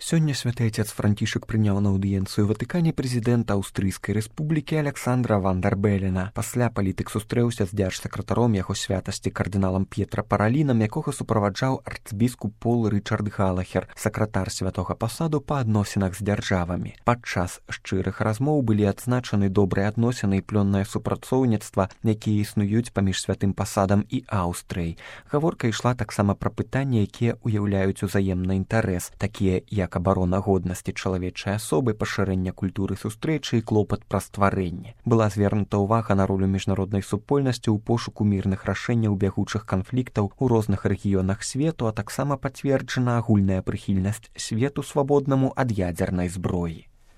Сёння святы отец Францішак прыняў на аўдыенцыю Ватыкане прэзідэнта Аўстрыйскай рэспублікі Александра ван дер Белена. Пасля палітык сустрэўся з дзяржсакратаром яго святасці кардыналам П'етра Паралінам, якога суправаджаў арцбіскуп Пол Рычард Галахер, сакратар святога пасаду па адносінах з дзяржавамі. Падчас шчырых размоў былі адзначаны добрыя адносіны і плённае супрацоўніцтва, якія існуюць паміж святым пасадам і Аўстрыяй. Гаворка ішла таксама пра пытанні, якія ўяўляюць узаемны інтарэс, такія як абарона годнасці чалавечай асобы, пашырэння культуры сустрэчы і клопат пра стварэнне. Была звернута ўвага на ролю міжнароднай супольнасці ў пошуку мірных рашэнняў бягучых канфліктаў у розных рэгіёнах свету, а таксама пацверджана агульная прыхільнасць свету свабоднаму ад ядзернай зброі.